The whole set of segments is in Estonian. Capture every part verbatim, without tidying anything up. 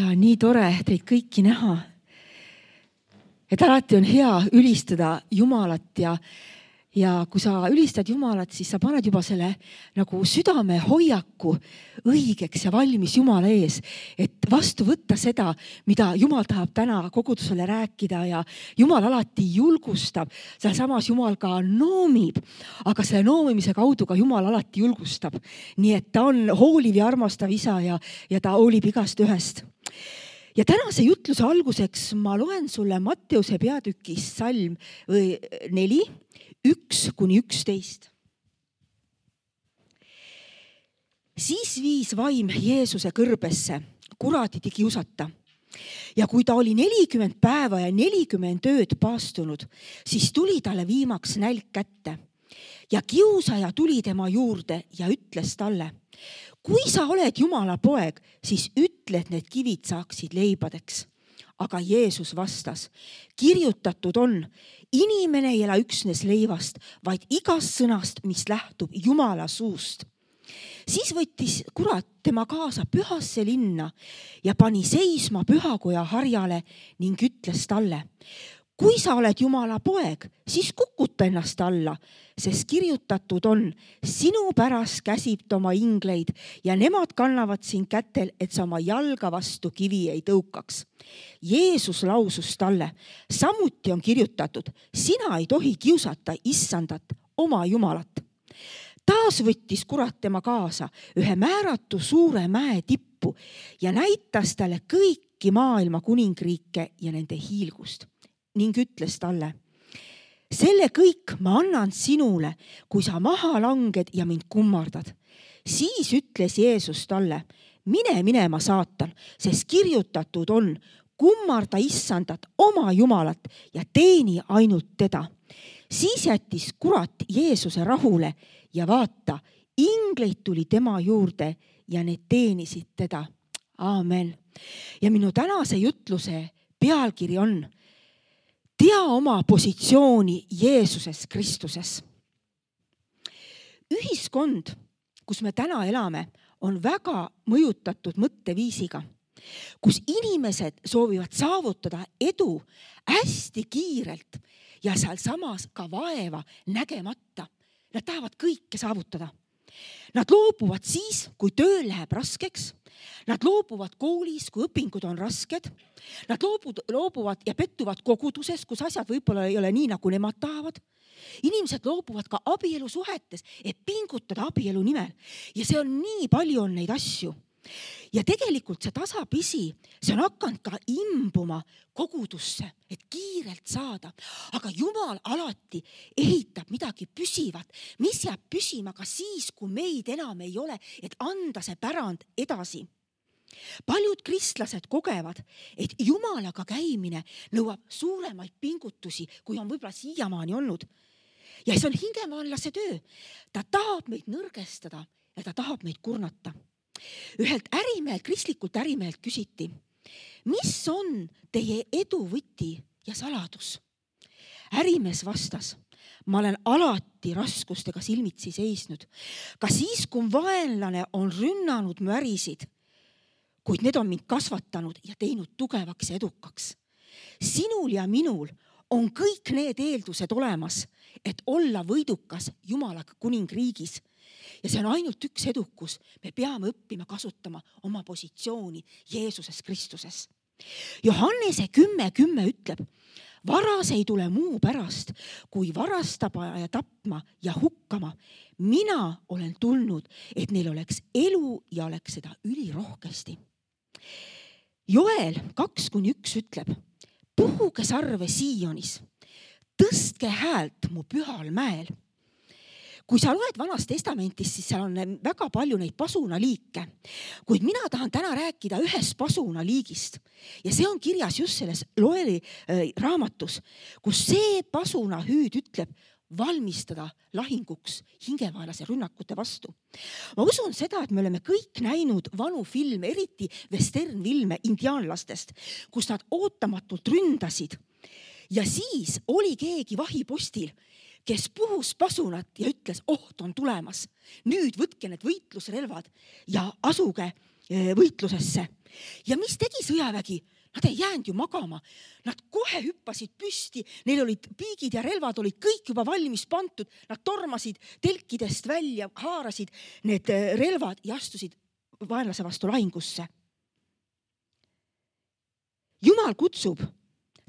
Ja nii tore teid kõiki näha. Et alati on hea ülistada Jumalat ja, ja kui sa ülistad Jumalat, siis sa paned juba selle nagu südame hoiaku õigeks ja valmis Jumala ees, et vastu võtta seda, mida Jumal tahab täna kogudusele rääkida ja Jumal alati julgustab. Seal samas Jumal ka noomib, aga selle noomimise kaudu ka Jumal alati julgustab. Nii et ta on hooliv ja armastav isa ja, ja ta hoolib igast ühest. Ja tänase jutluse alguseks ma loen sulle Matteuse peatükis salm neli, üks kuni üksteist. Siis viis vaim Jeesuse kõrbesse kuratiti kiusata. Ja kui ta oli nelikümmend päeva ja nelikümmend ööd paastunud, siis tuli talle viimaks nälg kätte. Ja kiusaja tuli tema juurde ja ütles talle: kui sa oled Jumala poeg, siis ütle, et need kivid saaksid leibadeks. Aga Jeesus vastas: kirjutatud on, inimene ei ela üksnes leivast, vaid igast sõnast, mis lähtub Jumala suust. Siis võttis kurat tema kaasa pühasse linna ja pani seisma pühakoja harjale ning ütles talle: kui sa oled Jumala poeg, siis kukuta ennast alla, sest kirjutatud on, sinu pärast käsib ta oma ingleid ja nemad kannavad sind kätel, et sa oma jalga vastu kivi ei tõukaks. Jeesus lausus talle: samuti on kirjutatud, sina ei tohi kiusata issandat, oma Jumalat. Taas võttis kurat tema kaasa ühe määratu suure mäe tippu ja näitas talle kõiki maailma kuningriike ja nende hiilgust. Ning ütles talle: selle kõik ma annan sinule, kui sa maha langed ja mind kummardad. Siis ütles Jeesus talle: mine minema, saatan, sest kirjutatud on, kummarda issandat, oma Jumalat ja teeni ainult teda. Siis jättis kurat Jeesuse rahule ja vaata, ingleid tuli tema juurde ja need teenisid teda. Aamen. Ja minu tänase jutluse pealkiri on: tea oma positsiooni Jeesuses Kristuses. Ühiskond, kus me täna elame, on väga mõjutatud mõtteviisiga, kus inimesed soovivad saavutada edu hästi kiirelt ja seal samas ka vaeva nägemata. Nad tahavad kõike saavutada. Nad loobuvad siis, kui töö läheb raskeks. Nad loobuvad koolis, kui õpingud on rasked. Nad loobuvad ja pettuvad koguduses, kus asjad võib-olla ei ole nii, nagu nemad tahavad. Inimesed loobuvad ka abielusuhetes, et pingutada abielu nimel. Ja see on nii palju on neid asju. Ja tegelikult see tasapisi, see on hakanud ka imbuma kogudusse, et kiirelt saada. Aga Jumal alati ehitab midagi püsivat, mis jääb püsima ka siis, kui meid enam ei ole, et anda see pärand edasi. Paljud kristlased kogevad, et Jumalaga käimine nõuab suuremaid pingutusi, kui on võib-olla siiamaani olnud. Ja see on hingemaanlase töö. Ta tahab meid nõrgestada ja ta tahab meid kurnata. Ühelt ärimehelt, kristlikult ärimehelt küsiti: mis on teie edu võti ja saladus? Ärimees vastas: ma olen alati raskustega silmitsi seisnud. Ka siis, kui vaenlane on rünnanud mu ärisid, kuid need on mind kasvatanud ja teinud tugevaks ja edukaks. Sinul ja minul on kõik need eeldused olemas, et olla võidukas Jumala kuningriigis. Ja see on ainult üks edukus. Me peame õppima kasutama oma positsiooni Jeesuses Kristuses. Johannese kümme kümme ütleb: varas ei tule muu pärast, kui varastama ja tapma ja hukkama. Mina olen tulnud, et neil oleks elu ja oleks seda ülirohkesti. Joel kaks kuni üks ütleb: puhuge sarve Sionis, tõstke häält mu pühal mäel. Kui sa loed Vanast testamentist, siis seal on väga palju neid pasunaliike. Kuid mina tahan täna rääkida ühest pasunaliigist. Ja see on kirjas just selles Joeli raamatus, kus see pasunahüüd ütleb valmistada lahinguks hingevaelase rünnakute vastu. Ma usun seda, et me oleme kõik näinud vanu filme, eriti westernfilme indiaanlastest, kus nad ootamatult ründasid. Ja siis oli keegi vahipostil, kes puhus pasunat ja ütles: oht on tulemas. Nüüd võtke need võitlusrelvad ja asuge võitlusesse. ja mis tegi sõjavägi? Nad ei jäänud ju magama. Nad kohe hüppasid püsti, neil olid piigid ja relvad olid kõik juba valmis pantud. Nad tormasid telkidest välja, haarasid need relvad ja astusid vaenlase vastu lahingusse. Jumal kutsub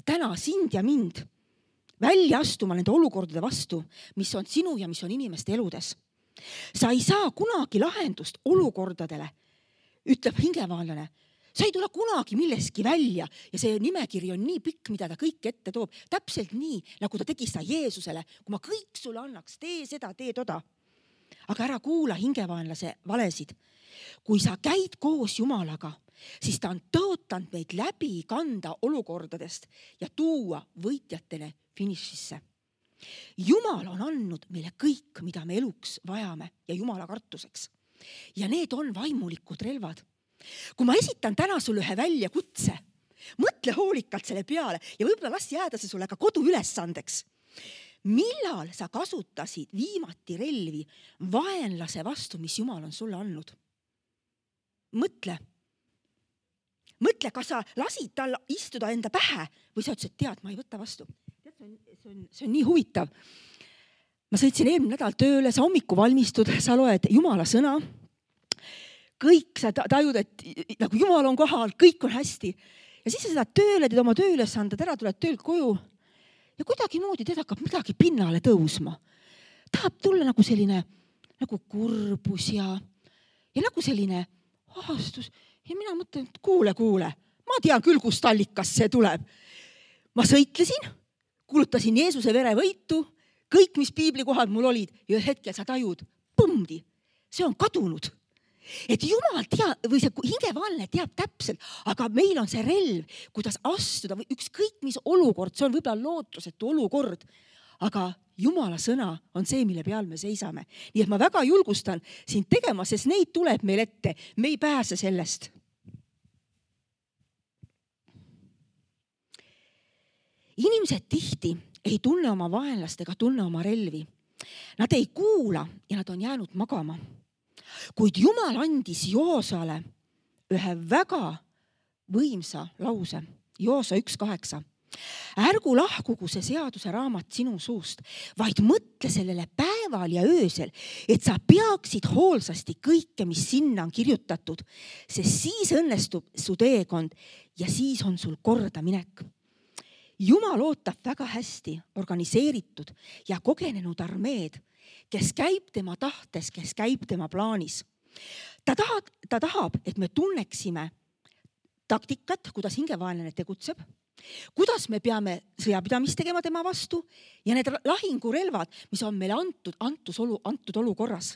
täna sind ja mind välja astuma nende olukordade vastu, mis on sinu ja mis on inimeste eludes. Sa ei saa kunagi lahendust olukordadele, ütleb hingevaalane. Sa ei tule kunagi milleski välja ja see nimekiri on nii pikk, mida ta kõik ette toob. Täpselt nii, nagu ta tegi seda Jeesusele. Kui ma kõik sulle annaks, tee seda, tee toda. Aga ära kuula hingevaenlase valesid. Kui sa käid koos Jumalaga, siis ta on tõotanud meid läbi kanda olukordadest ja tuua võitjatele finišisse. Jumal on andnud meile kõik, mida me eluks vajame ja Jumala kartuseks. Ja need on vaimulikud relvad. Kui ma esitan täna sulle ühe väljakutse, mõtle hoolikalt selle peale ja võib-olla las jääda see sulle ka kodu ülesandeks. Millal sa kasutasid viimati relvi vaenlase vastu, mis Jumal on sulle andnud? Mõtle. Mõtle, kas sa lasid tal istuda enda pähe või sa ütlesid, et tead, ma ei võta vastu. Tead, see on, see on, see on nii huvitav. Ma sõitsin eelmine nädal tööle, sa hommiku valmistud, sa loed Jumala sõna. Kõik sa tajud, et nagu Jumal on kohal, kõik on hästi. Ja siis sa seda tööle, teed oma tööülesanded, ära tuled töölt koju ja kuidagi moodi teed hakkab midagi pinnale tõusma. Tahab tulla nagu selline nagu kurbus ja, ja nagu selline ahastus. Ja mina mõtlen, et kuule, kuule, ma tean küll, kust allikas see tuleb. Ma sõitlesin, kulutasin Jeesuse vere võitu, kõik, mis piibli kohad mul olid ja hetkel sa tajud, põmdi, see on kadunud. Et Jumal teab, või see hingevaalne teab täpselt, aga meil on see relv, kuidas astuda või ükskõik mis olukord, see on võib-olla lootusetu olukord, aga Jumala sõna on see, mille peal me seisame. Nii et ma väga julgustan sind tegema, sest neid tuleb meil ette, me ei pääse sellest. Inimesed tihti ei tunne oma vaenlast ega tunne oma relvi. Nad ei kuula ja nad on jäänud magama. Kuid Jumal andis Joosale ühe väga võimsa lause. Joosa üks kaheksa. Ärgu lahkugu see seaduse raamat sinu suust, vaid mõtle sellele päeval ja öösel, et sa peaksid hoolsasti kõike, mis sinna on kirjutatud, sest siis õnnestub su teekond ja siis on sul korda minek. Jumal ootab väga hästi organiseeritud ja kogenenud armeed, kes käib tema tahtes, kes käib tema plaanis. Ta tahab, ta tahab, et me tunneksime taktikat, kuidas hingevaenlane tegutseb, kuidas me peame sõjapidamist tegema tema vastu ja need lahingurelvad, mis on meile antud, antud, olu, antud olukorras.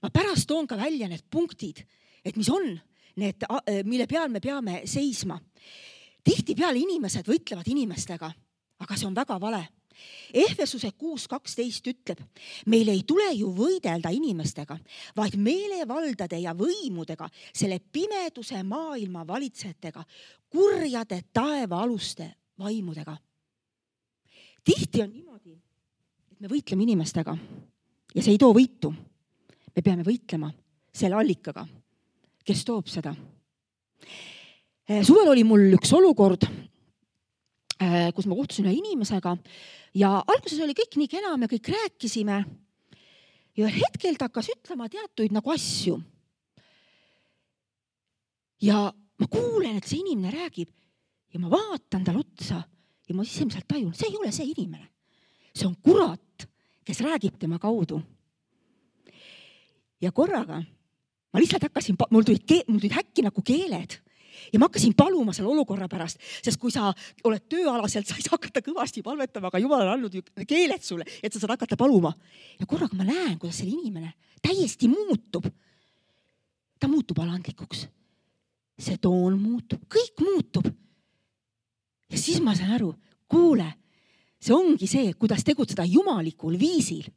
Ma pärast toon ka välja need punktid, et mis on need, mille peal me peame seisma. Tihtipeale inimesed võitlevad inimestega, aga see on väga vale. Ehvesuse kuus kaksteist ütleb, meil ei tule ju võidelda inimestega, vaid meelevaldade ja võimudega, selle pimeduse maailma valitsejatega, kurjade taevaaluste vaimudega. Tihti on niimoodi, et me võitleme inimestega ja see ei too võitu. Me peame võitlema selle allikaga, kes toob seda. Suvel oli mul üks olukord, kus ma kohtusin ühe inimesega ja alguses oli kõik nii kena, me kõik rääkisime ja hetkel ta hakkas ütlema teatuid nagu asju. Ja ma kuulen, et see inimene räägib ja ma vaatan tal otsa ja ma sisemiselt tajun, see ei ole see inimene. See on kurat, kes räägib tema kaudu. Ja korraga ma lihtsalt hakkasin, mul tulid, mul tulid häkki nagu keeled. Ja ma hakkasin paluma selle olukorra pärast, sest kui sa oled tööalaselt, sa ei saa hakata kõvasti palvetama, aga Jumal on andnud keeled sulle, et sa saad hakata paluma. Ja korraga ma näen, kuidas selle inimene täiesti muutub. Ta muutub alandlikuks. See toon muutub, kõik muutub. Ja siis ma saan aru, kuule, see ongi see, kuidas tegutseda jumalikul viisil.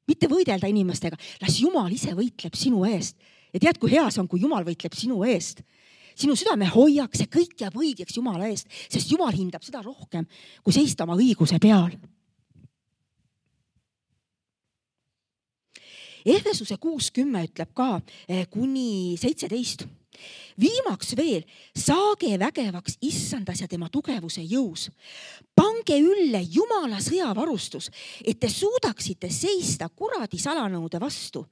Mitte võidelda inimestega, las Jumal ise võitleb sinu eest. Ja tead, kui hea see on, kui Jumal võitleb sinu eest. Sinu südame hoiaks, see kõik jääb õigeks Jumala eest, sest Jumal hindab seda rohkem, kui seista oma õiguse peal. Ehvesuse kuus kümme ütleb ka kuni seitseteist. Viimaks veel, saage vägevaks issandas ja tema tugevuse jõus. Pange ülle Jumala sõjavarustus, et te suudaksite seista kuradi salanõude vastu.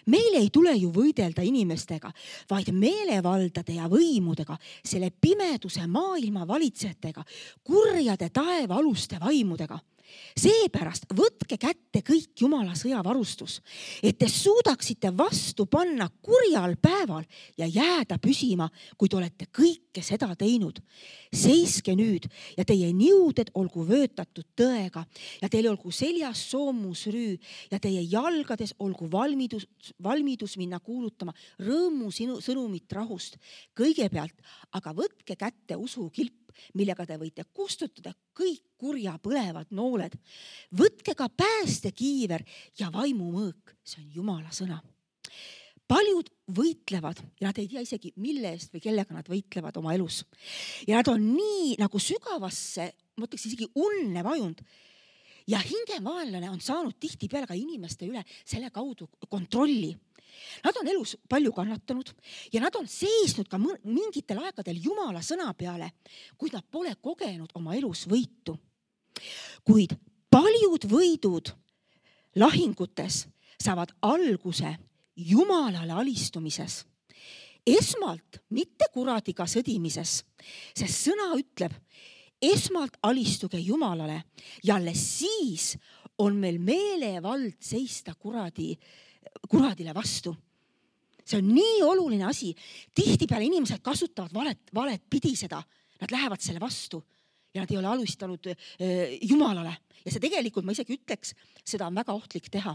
Meil ei tule ju võidelda inimestega, vaid meelevaldade ja võimudega, selle pimeduse maailma valitsejatega, kurjade taeva aluste vaimudega. Seepärast võtke kätte kõik Jumala sõjavarustus, et te suudaksite vastu panna kurjal päeval ja jääda püsima, kui te olete kõike seda teinud. Seiske nüüd ja teie niuded olgu vöötatud tõega ja teil olgu seljas soomusrüü ja teie jalgades olgu valmidus, valmidus minna kuulutama rõõmu sinu sõnumit rahust. Kõigepealt aga võtke kätte usukilp, millega te võite kustutada kõik kurja põlevad nooled. Võtke ka päästekiiver ja vaimumõõk, see on Jumala sõna. Paljud võitlevad ja nad ei tea isegi, mille eest või kellega nad võitlevad oma elus. Ja nad on nii nagu sügavasse, ma ütleks isegi unne vajunud. Ja hingemaanlane on saanud tihtipeale ka inimeste üle selle kaudu kontrolli. Nad on elus palju kannatanud ja nad on seisnud ka mingitel aegadel Jumala sõna peale, kuid nad pole kogenud oma elus võitu. Kuid paljud võidud lahingutes saavad alguse Jumalale alistumises. Esmalt mitte kuradiga sõdimises, sest sõna ütleb, esmalt alistuge Jumalale ja alles siis on meil meelevald seista kuradi kuradile vastu. See on nii oluline asi. Tihtipeale inimesed kasutavad valet, valet pidi seda. Nad lähevad selle vastu ja nad ei ole alustanud Jumalale. Ja see tegelikult, ma isegi ütleks, seda on väga ohtlik teha.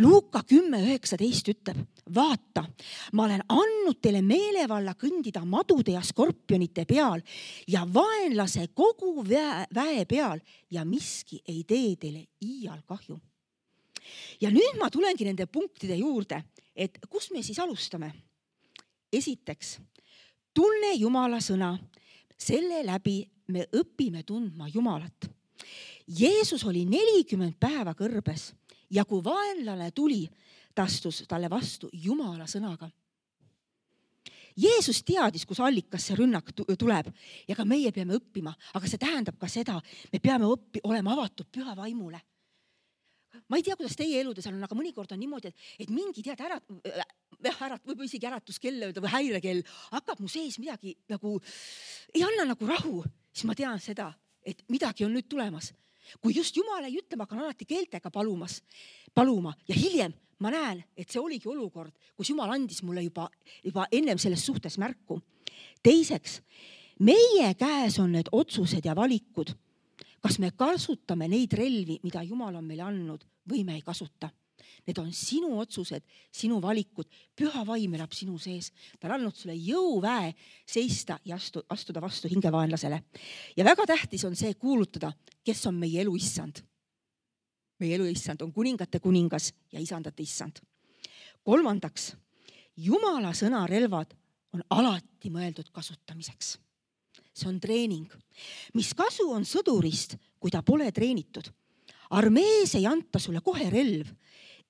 Luuka kümme üheksateist ütleb, vaata, ma olen andnud teile meelevalla kõndida madude ja skorpionite peal ja vaenlase kogu väe, väe peal ja miski ei tee teile iial kahju. Ja nüüd ma tulengi nende punktide juurde, et kus me siis alustame? Esiteks, tunne Jumala sõna, selle läbi me õpime tundma Jumalat. Jeesus oli nelikümmend päeva kõrbes ja kui vaenlane tuli, ta astus talle vastu Jumala sõnaga. Jeesus teadis, kus allikas see rünnak tuleb ja ka meie peame õppima, aga see tähendab ka seda, me peame õppi, olema avatud püha vaimule. Ma ei tea, kuidas teie eludes on, aga mõnikord on niimoodi, et, et mingi tead ära, ära, võib isegi äratuskell või häirekell hakkab mu sees midagi nagu, ei anna nagu rahu, siis ma tean seda, et midagi on nüüd tulemas. Kui just Jumal ei ütle, ma hakkan alati keeltega palumas, paluma ja hiljem ma näen, et see oligi olukord, kus Jumal andis mulle juba, juba ennem selles suhtes märku. Teiseks, meie käes on need otsused ja valikud. Kas me kasutame neid relvi, mida Jumal on meile andnud või me ei kasuta. Need on sinu otsused, sinu valikud. Püha vaim elab sinu sees. Ta on andnud sulle jõuväe seista ja astu, astuda vastu hingevaenlasele. Ja väga tähtis on see kuulutada, kes on meie elu issand. Meie elu issand on kuningate kuningas ja isandate issand. Kolmandaks, Jumala sõna relvad on alati mõeldud kasutamiseks. See on treening. Mis kasu on sõdurist, kui ta pole treenitud? Armees ei anta sulle kohe relv.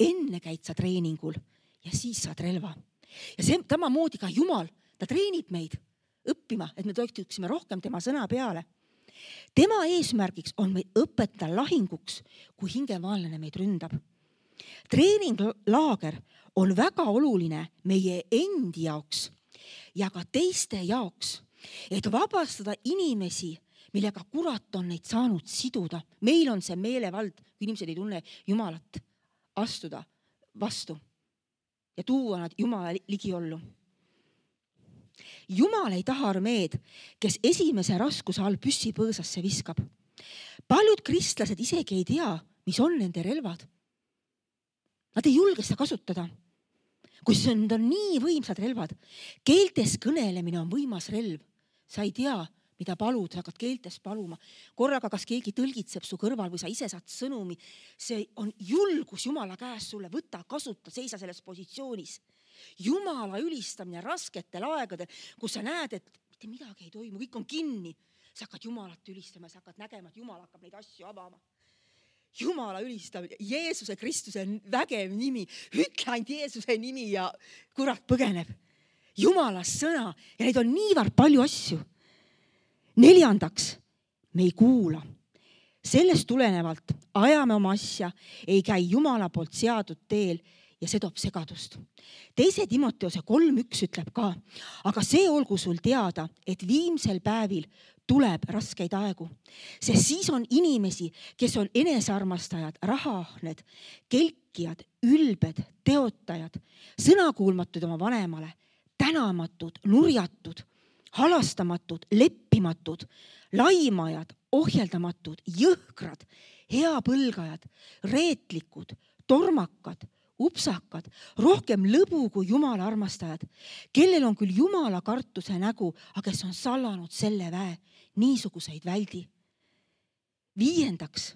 Enne käid sa treeningul ja siis saad relva. Ja see tamamoodi ka Jumal, ta treenib meid õppima, et me toetuksime rohkem tema sõna peale. Tema eesmärgiks on meid õpetada lahinguks, kui hingemaanlane meid ründab. Treeninglaager on väga oluline meie endi jaoks ja ka teiste jaoks, et vabastada inimesi, millega kurat on neid saanud siduda. Meil on see meelevald, kui inimesed ei tunne Jumalat, astuda vastu ja tuua nad Jumala ligiollu. Jumal ei taha armeed, kes esimese raskuse all püssi põõsasse viskab. Paljud kristlased isegi ei tea, mis on nende relvad. Nad ei julge seda kasutada. Kui see on, on nii võimsad relvad, keeltes kõnelemine on võimas relv. Sa ei tea, mida palud, sa hakkad keeltes paluma. Korraga kas keegi tõlgitseb su kõrval või sa ise saad sõnumi. See on julgus Jumala käes sulle. Võta, kasuta, seisa selles positsioonis. Jumala ülistamine rasketel aegadel, kus sa näed, et mitte midagi ei toimu, kõik on kinni. Sa hakkad Jumalat ülistama, sa hakkad nägema, et Jumal hakkab neid asju avama. Jumala ülistamine, Jeesuse Kristuse vägev nimi. Ütle ainult Jeesuse nimi ja kurat põgeneb. Jumala sõna ja neid on niivõrd palju asju. Neljandaks, me ei kuula. Sellest tulenevalt ajame oma asja, ei käi Jumala poolt seatud teel ja see toob segadust. Teise Timoteose kolm üks ütleb ka, aga see olgu sul teada, et viimsel päevil tuleb raskeid aegu, sest siis on inimesi, kes on enesearmastajad, rahaahned, kelkijad, ülbed, teotajad, sõnakuulmatud oma vanemale, tänamatud, nurjatud, halastamatud, leppimatud, laimajad, ohjeldamatud, jõhkrad, heapõlgajad, reetlikud, tormakad, upsakad, rohkem lõbu kui Jumala armastajad, kellel on küll Jumala kartuse nägu, aga kes on sallanud selle väe, niisuguseid väldi. Viiendaks,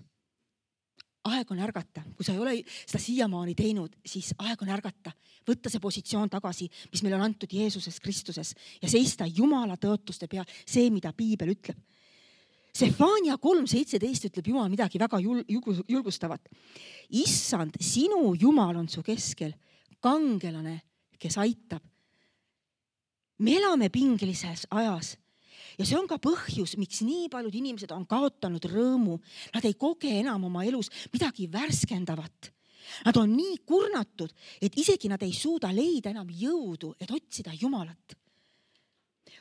aeg on ärgata. Kui sa ei ole seda siiamaani teinud, siis aeg on ärgata. Võtta see positsioon tagasi, mis meil on antud Jeesuses Kristuses ja seista Jumala tõotuste peal, see, mida Piibel ütleb. Sefania kolm seitseteist ütleb Jumal midagi väga julgustavat. Issand, sinu Jumal on su keskel, kangelane, kes aitab. Me elame pingelises ajas ja see on ka põhjus, miks nii paljud inimesed on kaotanud rõõmu. Nad ei koge enam oma elus midagi värskendavat. Nad on nii kurnatud, et isegi nad ei suuda leida enam jõudu, et otsida Jumalat.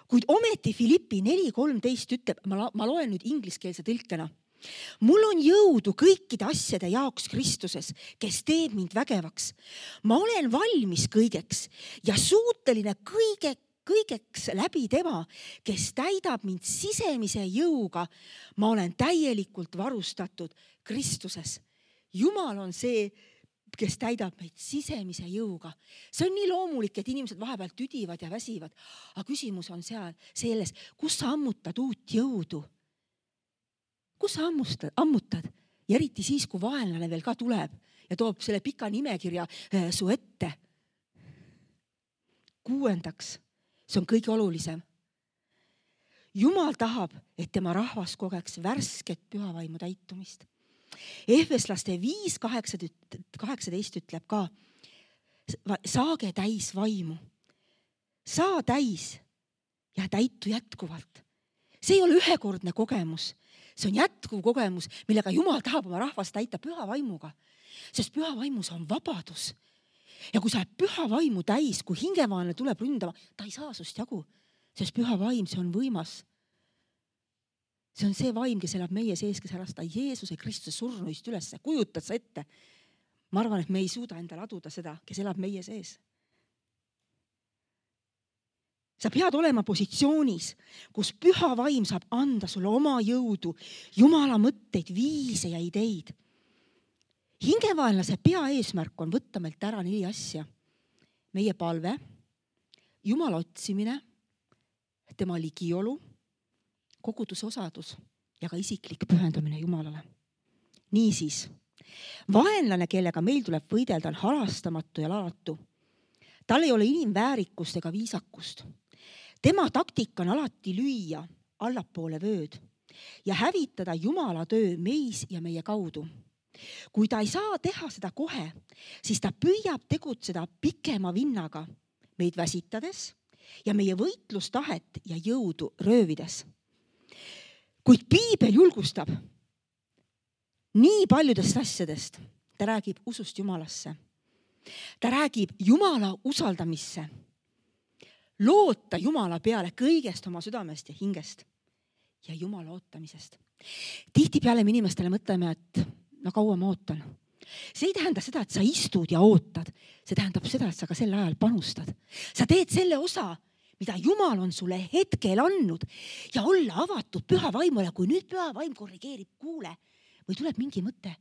Kuid ometi Filippi neli kolmteist ütleb, ma, ma loen nüüd ingliskeelse tõlkena. Mul on jõudu kõikide asjade jaoks Kristuses, kes teeb mind vägevaks. Ma olen valmis kõigeks ja suuteline kõige, kõigeks läbi tema, kes täidab mind sisemise jõuga. Ma olen täielikult varustatud Kristuses. Jumal on see, kes täidab meid sisemise jõuga. See on nii loomulik, et inimesed vahepeal tüdivad ja väsivad. Aga küsimus on seal selles, kus sa ammutad uut jõudu? Kus sa ammustad, ammutad? Ja eriti siis, kui vaenlane veel ka tuleb ja toob selle pika nimekirja su ette. Kuuendaks, see on kõige olulisem. Jumal tahab, et tema rahvas kogeks värsket pühavaimu täitumist. Efeslaste viis kaheksateist ütleb ka, saage täis vaimu. Saa täis ja täitu jätkuvalt. See ei ole ühekordne kogemus. See on jätkuv kogemus, millega Jumal tahab oma rahvast täita püha vaimuga. Sest püha vaimus on vabadus. Ja kui sa oled püha vaimu täis, kui hingevaanne tuleb ründama, ta ei saa sust jagu. Sest püha vaim, see on võimas. See on see vaim, kes elab meie sees, kes ärasta Jeesuse Kristuse surnuist üles. Kujutad sa ette? Ma arvan, et me ei suuda endale aduda seda, kes elab meie sees. Sa pead olema positsioonis, kus püha vaim saab anda sulle oma jõudu, Jumala mõtteid, viise ja ideid. Hingevaenlase pea eesmärk on võtta meilt ära neli asja. Meie palve, Jumala otsimine, tema ligiolu, koguduse osadus ja ka isiklik pühendumine Jumalale. Niisiis, vaenlane, kellega meil tuleb võidelda, on halastamatu ja lalatu. Tal ei ole inimväärikust ega viisakust. Tema taktika on alati lüüa allapoole vööd ja hävitada Jumala töö meis ja meie kaudu. Kui ta ei saa teha seda kohe, siis ta püüab tegutseda pikema vinnaga, meid väsitades ja meie võitlustahet ja jõudu röövides. Kuid Piibel julgustab nii paljudest asjadest. Ta räägib usust Jumalasse. Ta räägib Jumala usaldamisse. Loota Jumala peale kõigest oma südamest ja hingest ja Jumala ootamisest. Tihtipeale me inimestele mõtleme, et no kaua ma ootan. See ei tähenda seda, et sa istud ja ootad. See tähendab seda, et sa ka sel ajal panustad. Sa teed selle osa, mida Jumal on sulle hetkel andnud ja olla avatud püha vaimule, kui nüüd püha vaim korrigeerib kuule või tuleb mingi mõte,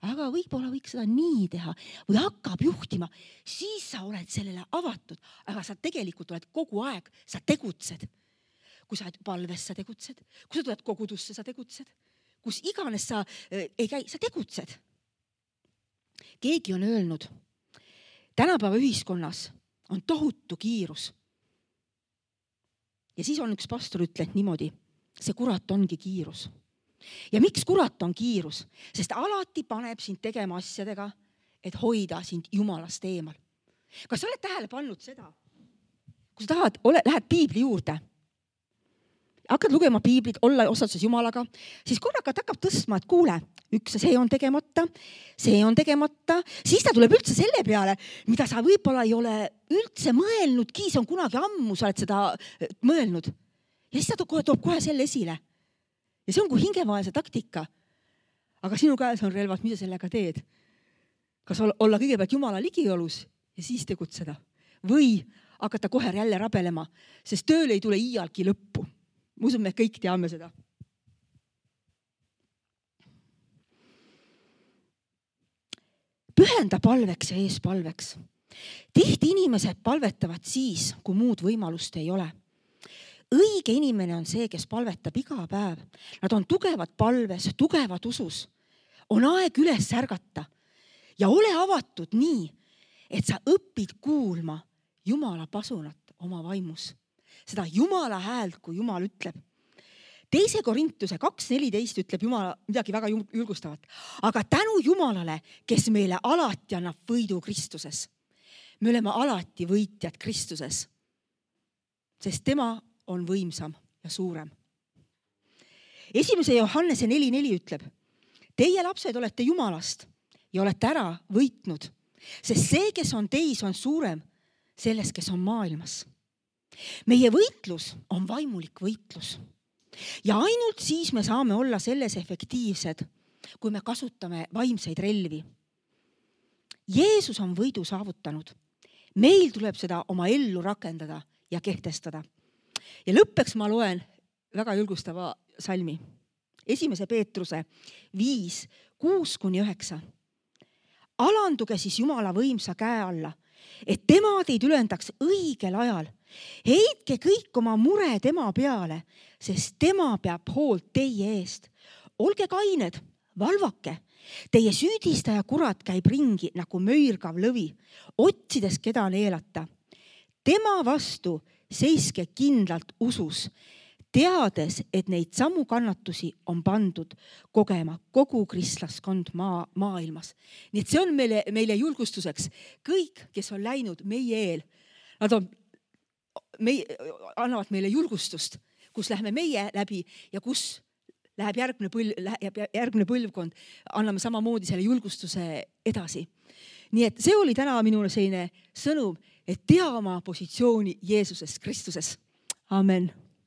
aga võib-olla võiks seda nii teha või hakkab juhtima, siis sa oled sellele avatud, aga sa tegelikult oled kogu aeg, sa tegutsed. Kui sa oled palves, sa tegutsed, kui sa tuled kogudusse, sa tegutsed, kus iganes sa äh, ei käi, sa tegutsed. Keegi on öelnud, tänapäeva ühiskonnas on tohutu kiirus. Ja siis on üks pastor ütleb niimoodi, see kurat ongi kiirus. Ja miks kurat on kiirus? Sest alati paneb sind tegema asjadega, et hoida sind Jumalast eemal. Kas sa oled tähele pannud seda, kui sa tahad, ole, lähed piibli juurde, hakkad lugema piiblit, olla osaduses Jumalaga, siis korraga ta hakkab tõstma, et kuule, üks see on tegemata, see on tegemata, siis ta tuleb üldse selle peale, mida sa võib-olla ei ole üldse mõelnudki, see on kunagi ammu, sa oled seda mõelnud. Ja siis ta toob kohe selle esile. Ja see on kui hingemaelse taktika. Aga sinu käes on relvad, mida sellega teed? Kas olla kõigepealt Jumala ligiolus ja siis tegutseda? Või hakata kohe jälle rabelema, sest tööl ei tule iialgi lõppu. Ma usun, me kõik teame seda. Pühenda palveks ja eespalveks. Tihti inimesed palvetavad siis, kui muud võimalust ei ole. Õige inimene on see, kes palvetab iga päev. Nad on tugevad palves, tugevad usus. On aeg üles ärgata ja ole avatud nii, et sa õpid kuulma Jumala pasunat oma vaimus. Seda Jumala häält, kui Jumal ütleb. Teise Korintuse kaks neliteist ütleb Jumala midagi väga julgustavat. Aga tänu Jumalale, kes meile alati annab võidu Kristuses. Me oleme alati võitjad Kristuses, sest tema on võimsam ja suurem. Esimese Johannese neli neli ütleb, teie lapsed olete Jumalast ja olete ära võitnud, sest see, kes on teis, on suurem sellest, kes on maailmas. Meie võitlus on vaimulik võitlus. Ja ainult siis me saame olla selles efektiivsed, kui me kasutame vaimseid relvi. Jeesus on võidu saavutanud. Meil tuleb seda oma ellu rakendada ja kehtestada. Ja lõppeks ma loen väga julgustava salmi. Esimese Peetruse viis, kuus kuni üheksa. Alanduge siis Jumala võimsa käe alla, et tema teid ülendaks õigel ajal. Heitke kõik oma mure tema peale, sest tema peab hoolt teie eest. Olge kained, valvake. Teie süüdistaja kurat käib ringi nagu möirgav lõvi, otsides keda neelata. Tema vastu seiske kindlalt usus, teades, et neid samu kannatusi on pandud kogema kogu kristlaskond maa, maailmas. Nii et see on meile, meile julgustuseks. Kõik, kes on läinud meie eel, nad on, meie, annavad meile julgustust, kus lähme meie läbi ja kus läheb järgmine, põl, läheb järgmine põlvkond, anname samamoodi selle julgustuse edasi. Nii et see oli täna minule selline sõnum, et tea oma positsiooni Jeesuses Kristuses. Amen.